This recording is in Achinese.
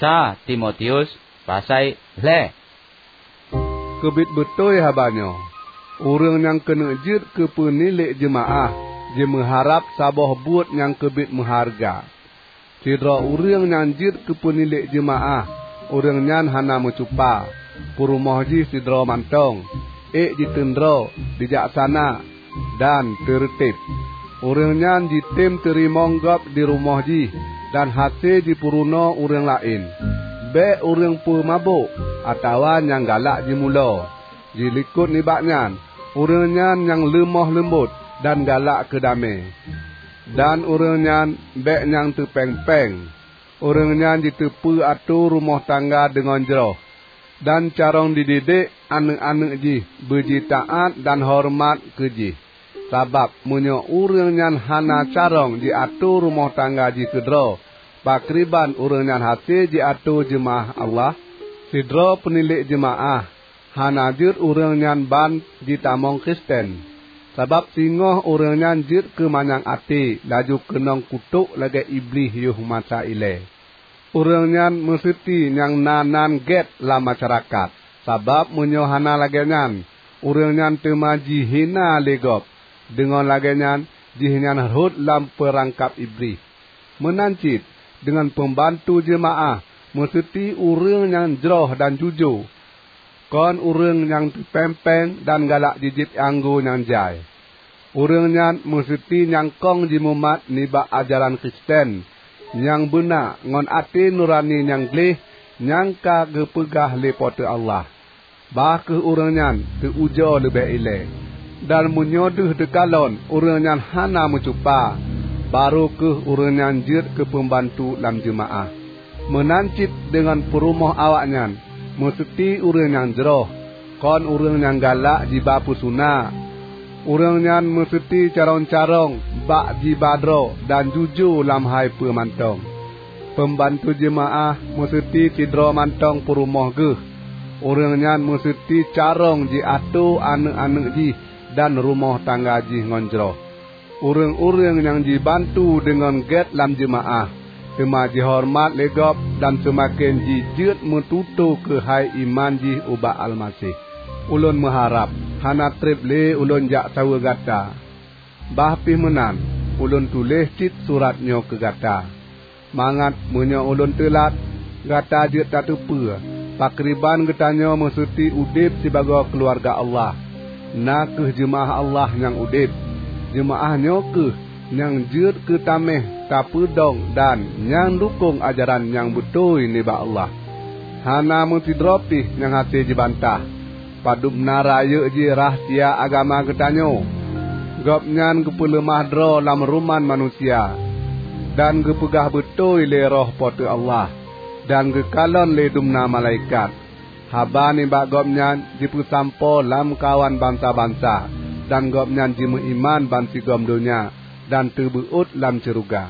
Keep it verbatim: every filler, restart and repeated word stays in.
Sa Timotius, pasai lhée. Keubiet beutôi haba nyoe, ureuëng nyang keuneuk jeuet keu peunilék jeumaáh jimeuharab saboh buet nyang keubiet meuhareuga. Sidroe ureuëng nyang jeuet keu peunilék jeumaáh, ureuëng nyan hana meucupa, peurumoh jih sidroe mantong, ék jiteundroe, bijaksana, dan teureuteb. Ureuëng nyan jitem teurimong gob di rumoh jih dan hase jipeurunoe ureuëng laén. Bék ureuëng peumabök atawa nyang galak jimulo. Jilikot nibak nyan, ureuëng nyan nyang leumoh leumbot dan galak keu damé. Dan ureuëng nyan bék nyang teupéng-péng. Ureuëng nyan jiteupeu atô rumoh tangga deungon jroh, dan carông jididik aneuëk-aneuëk jih beujitaát dan horeumat keu jih. Sabab meunyoe ureuëng nyan hana carông jiatô rumoh tangga jih keudroe, pakriban ureuëng nyan hase jiatô jeumaáh Allah? Sidroe peunilék jeumaáh hana jeuet ureuëng nyan ban jitamong Kristen, sabab singoh ureuëng nyan jeuet keu manyang até laju keunong kutok lagée Iblih yoh masa ilée. Ureuëng nyan meuseuti nyang na nan gét lam masyarakat, sabab meunyoe hana lagée nyan, ureuëng nyan teuma jihina lé gob. Deungon lagée nyan, jihnyan rhot lam peurangkab Iblih. Meunan cit deungon peumbantu jeumaáh meuseuti ureuëng nyang jroh dan jujô, kon ureuëng nyang teupéng-péng dan galak jijieb anggô nyang jai. Ureuëng nyan meuseuti nyang kong jimumat nibak ajaran Kristen nyang beuna ngon até nurani nyang gleh nyang ka geupeugah lé Po teu Allah. Bah kheueh ureuëng nyan teu-ujoe leubeh ilée. Dan meunyoe deuh teukalon ureuëng nyan hana meucupa, barô kheueh ureuëng nyan jeuet keu peumbantu lam jeumaáh. Meunan cit deungon peurumoh awaknyan, meuseuti ureuëng nyang jroh, kon ureuëng nyang galak jiba peusuna. Ureuëng nyan meuseuti carông-carông bak jiba droe dan jujô lam hai peue mantong. Peumbantu jeumaáh meuseuti sidroe mantong peurumoh geuh. Ureuëng nyan meuseuti carông jiatô aneuëk-aneuëk jih dan rumoh tangga jih ngon jroh. Ureuëng-ureuëng nyang jibantu deungon gét lam jeumaáh, teuma jihoreumat lé gob dan seumaken jijeuet meututoe keuhai iman jih ubak Almaseh. Ulôn meuharab hana treb lé ulôn jak saweue gata. Bah pih meunan, ulôn tuléh cit surat nyoe keu gata, mangat meunyoe ulôn teulat, gata jeuet tateupeue pakriban geutanyoe meuseuti udeb sibagoe keuluwarga Allah, na kheueh jeumaáh Allah nyang udeb. Jeumaáh nyoe kheueh nyang jeuet keu taméh tapeudong dan nyang dukong ajaran nyang beutôi nibak Allah. Hana meusidroe pih nyang hase jibantah. Padub na rayeuk jih rahsia agama geutanyoe. Gobnyan geupeuleumah droe lam ruman manusia, dan geupeugah beutôi lé Roh Po teu Allah, dan geukalon lé dumna malaikat. Haba nibak Gobnyan jipeusampoe lamkawan bansa-bansa, dan Gobnyan jimeuiman bansigom donya dan teubeuôt lam syeuruga.